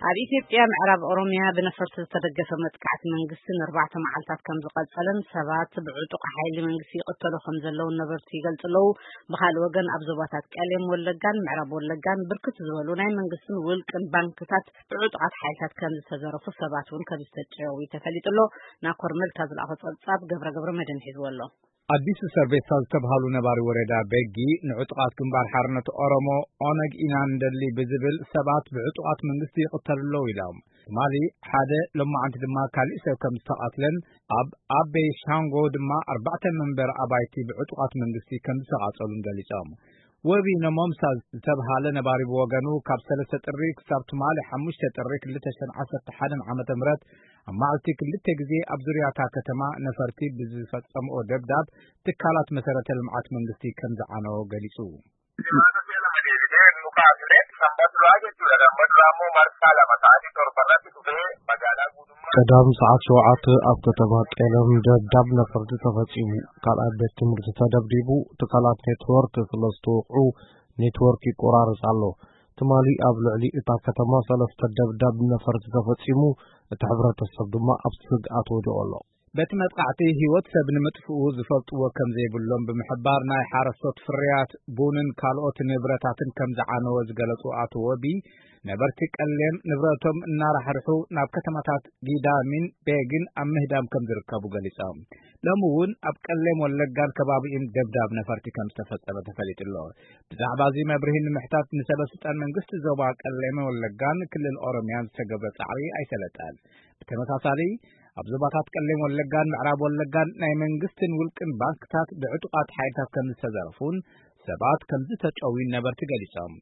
ኣብ ኢትዮጵያ ምዕራብ ኦሮሚያ ብነፈርቲ ዝተደገፈ መጥቃዕቲ መንግስቲ ንኣርባዕተ መዓልታት ከም ዝቐጸለን ሰባት ብዕጡቕ ሓይሊ መንግስቲ ይቕተሉ ከም ዘለውን ነበርቲ ይገልጹ ኣለዉ። ብኻልእ ወገን ኣብ ዞባታት ቀሌም ወለጋን ምዕራብ ወለጋን ብርክት ዝበሉ ናይ መንግስትን ውልቅን ባንክታት ብዕጡቓት ሓይልታት ከም ዝተዘረፉ ሰባት እውን ከም ዝተጨወዩ ተፈሊጡ ኣሎ። ናኮር መልካ ዝለኣኾ ጸብጻብ ገብረ ገብረ መድህን ሒዝዎ ኣሎ። ኣዲሱ ሰርቤሳ ዝተብሃሉ ነባሪ ወረዳ ቤጊ ንዕጡቓት ግንባር ሓርነት ኦሮሞ ኦነግ ኢና እንደሊ ብዝብል ሰባት ብዕጡቓት መንግስቲ ይቕተሉ ኣለዉ ኢሎም። ትማሊ ሓደ፣ ሎማዓንቲ ድማ ካሊእ ሰብ ከም ዝተቓትለን ኣብ ኣቤ ሻንጎ ድማ ኣርባዕተ መንበር ኣባይቲ ብዕጡቓት መንግስቲ ከም ዝተቓጸሉን ገሊጾም። ወቢ ነሞምሳ ዝተብሃለ ነባሪ ብወገኑ ካብ ሰለስተ ጥሪ ክሳብ ትማሊ ሓሙሽተ ጥሪ ክልተ ሽሕን ዓሰርተ ሓደን ዓመተ ምህረት ኣብ መዓልቲ ክልተ ግዜ ኣብ ዙርያታ ከተማ ነፈርቲ ብዝፈጸምኦ ደብዳብ ትካላት መሰረተ ልምዓት መንግስቲ ከም ዝዓነዎ ገሊጹ። ቀዳም ሰዓት ሸውዓተ ኣብ ከተማ ቀለም ደብዳብ ነፈርቲ ተፈጺሙ። ካልኣይ ቤት ትምህርቲ ተደብዲቡ። ትካላት ኔትወርክ ስለ ዝተወቕዑ ኔትወርክ ይቆራረጽ ኣሎ። ትማሊ ኣብ ልዕሊ እታ ከተማ ሰለስተ ደብዳብ ነፈርቲ ተፈጺሙ። እቲ ሕብረተሰብ ድማ ኣብ ስግኣት ወዲቑ ኣሎ። በቲ መጥቃዕቲ ህይወት ሰብ ንምጥፍኡ ዝፈልጥዎ ከም ዘይብሎም ብምሕባር፣ ናይ ሓረስቶት ፍርያት ቡንን ካልኦት ንብረታትን ከም ዝዓነወ ዝገለጹ ኣቶ ወቢ፣ ነበርቲ ቀሌም ንብረቶም እናራሕርሑ ናብ ከተማታት ጊዳሚን ቤግን ኣብ ምህዳም ከም ዝርከቡ ገሊጾም። ሎሚ እውን ኣብ ቀሌም ወለጋን ከባቢኡን ደብዳብ ነፈርቲ ከም ዝተፈጸመ ተፈሊጡ ኣሎ። ብዛዕባ እዚ መብርሂ ንምሕታት ንሰበ ስልጣን መንግስቲ ዞባ ቀሌም ወለጋን ክልል ኦሮሚያን ዝተገብረ ጻዕሪ ኣይሰለጠን። ብተመሳሳሊ ኣብ ዞባታት ቀሌም ወለጋን ምዕራብ ወለጋን ናይ መንግስትን ውልቅን ባንክታት ብዕጡቓት ሓይልታት ከም ዝተዘረፉን ሰባት ከም ዝተጨውዩን ነበርቲ ገሊጾም።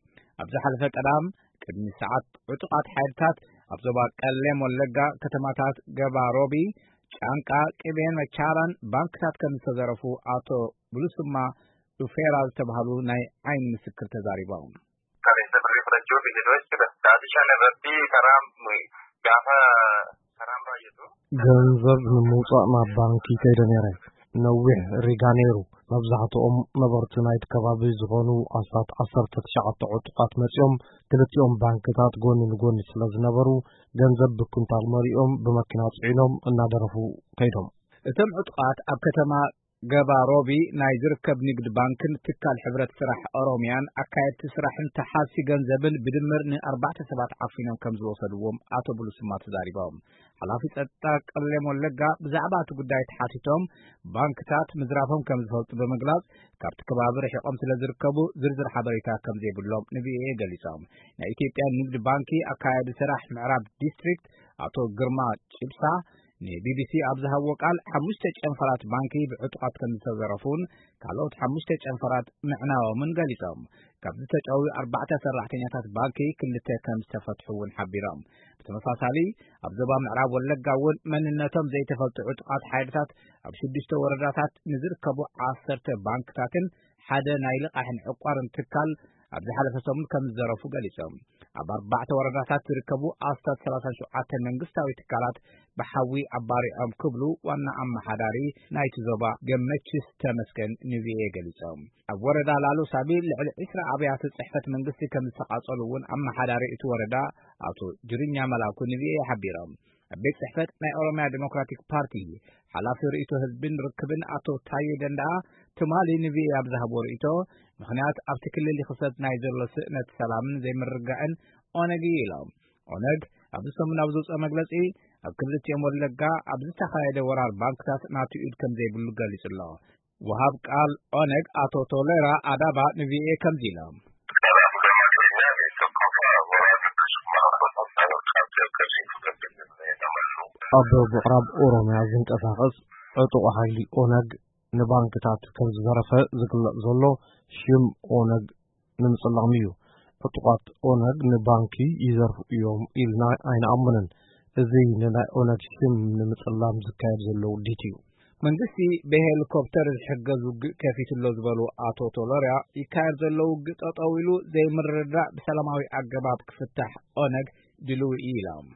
ኣብ ዝሓለፈ ቀዳም ቅድሚ ሰዓት ዕጡቓት ሓይልታት ኣብ ዞባ ቀሌም ወለጋ ከተማታት ገባ ሮቢ፣ ጫንቃ፣ ቅቤን መቻራን ባንክታት ከም ዝተዘረፉ ኣቶ ብሉስማ ዱፌራ ዝተባህሉ ናይ ዓይኒ ምስክር ተዛሪቦም። Kan isa birrii fudhachuuf isin hojiidha. Gaafishaan irratti karaa gaafa karaan baay'atu. ገንዘብ ንምውጻእ ናብ ባንኪ ከይደ ነይረ። ነዊሕ ሪጋ ነይሩ። መብዛሕትኦም ነበርቲ ናይቲ ከባቢ ዝኾኑ ኣስታት ዓሰርተ ትሽዓተ ዕጡቓት መጺኦም፣ ክልቲኦም ባንክታት ጎኒ ንጎኒ ስለ ዝነበሩ፣ ገንዘብ ብኩንታል መሊኦም ብመኪና ጽዒኖም እናደረፉ ከይዶም። እቶም ዕጡቓት ኣብ ከተማ ገባ ሮቢ ናይ ዝርከብ ንግድ ባንክን ትካል ሕብረት ስራሕ ኦሮሚያን ኣካየድቲ ስራሕን ተሓዝቲ ገንዘብን ብድምር ንኣርባዕተ ሰባት ዓፊኖም ከም ዝወሰድዎም ኣቶ ብሉስማ ተዛሪቦም። ሓላፊ ጸጥታ ቀሌም ወለጋ ብዛዕባ እቲ ጉዳይ ተሓቲቶም፣ ባንክታት ምዝራፎም ከም ዝፈልጡ ብምግላጽ፣ ካብቲ ከባቢ ርሒቖም ስለ ዝርከቡ ዝርዝር ሓበሬታ ከም ዘይብሎም ንቪኦኤ ገሊጾም። ናይ ኢትዮጵያ ንግድ ባንኪ ኣካያዲ ስራሕ ምዕራብ ዲስትሪክት ኣቶ ግርማ ጭብሳ ንቢቢሲ ኣብ ዝሃብዎ ቃል፣ ሓሙሽተ ጨንፈራት ባንኪ ብዕጡቓት ከም ዝተዘረፉን ካልኦት ሓሙሽተ ጨንፈራት ምዕናዎምን ገሊጾም። ካብ ዝተጨውዩ ኣርባዕተ ሰራሕተኛታት ባንኪ ክልተ ከም ዝተፈትሑ እውን ሓቢሮም። ብተመሳሳሊ ኣብ ዞባ ምዕራብ ወለጋ እውን መንነቶም ዘይተፈልጡ ዕጡቓት ሓይልታት ኣብ ሽዱሽተ ወረዳታት ንዝርከቡ ዓሰርተ ባንክታትን ሓደ ናይ ልቓሕን ዕቋርን ትካል ኣብ ዝሓለፈ ሰሙን ከም ዝዘረፉ ገሊጾም። ኣብ ኣርባዕተ ወረዳታት ዝርከቡ ኣስታት ሰላሳ ሸውዓተ መንግስታዊ ትካላት ብሓዊ ኣባሪዖም ክብሉ ዋና ኣመሓዳሪ ናይቲ ዞባ ገመችስ ተመስገን ንቪኦኤ ገሊጾም። ኣብ ወረዳ ላሎ ሳቢ ልዕሊ ዒስራ ኣብያተ ጽሕፈት መንግስቲ ከም ዝተቓጸሉ እውን ኣመሓዳሪ እቲ ወረዳ ኣቶ ጅርኛ መላኩ ንቪኦኤ ሓቢሮም። ኣብ ቤት ጽሕፈት ናይ ኦሮሚያ ዴሞክራቲክ ፓርቲ ሓላፊ ርእይቶ ህዝብን ርክብን ኣቶ ታዬ ደንደኣ ትማሊ ንቪኦኤ ኣብ ዝሃብዎ ርእይቶ፣ ምኽንያት ኣብቲ ክልል ይኽሰት ናይ ዘሎ ስእነት ሰላምን ዘይምርግጋእን ኦነግ እዩ ኢሎም። ኦነግ ኣብዚ ሰሙን ኣብ ዘውፅኦ መግለፂ፣ ኣብ ክልቲኦም ወለጋ ኣብ ዝተኻየደ ወራር ባንክታት ናቱ ኢድ ከም ዘይብሉ ገሊጹ ኣሎ። ወሃብ ቃል ኦነግ ኣቶ ቶሌራ ኣዳባ ንቪኦኤ ከምዚ ኢሎም። ኣብ ምዕራብ ኦሮሚያ ዝንቀሳቐስ ዕጡቕ ሓይሊ ኦነግ ንባንክታት ከም ዝዘረፈ ዝግለጽ ዘሎ ሽም ኦነግ ንምጽላም እዩ። ዕጡቓት ኦነግ ንባንኪ ይዘርፉ እዮም ኢልና ኣይንኣምንን። እዚ ንናይ ኦነግ ሽም ንምጽላም ዝካየድ ዘሎ ውዲት እዩ። መንግስቲ ብሄሊኮፕተር ዝሕገዝ ውግእ ከፊቱ ኣሎ ዝበሉ ኣቶ ቶሎርያ፣ ይካየድ ዘሎ ውግእ ጠጠው ኢሉ ዘይምርድዳእ ብሰላማዊ ኣገባብ ክፍታሕ ኦነግ ድልው እዩ ኢሎም።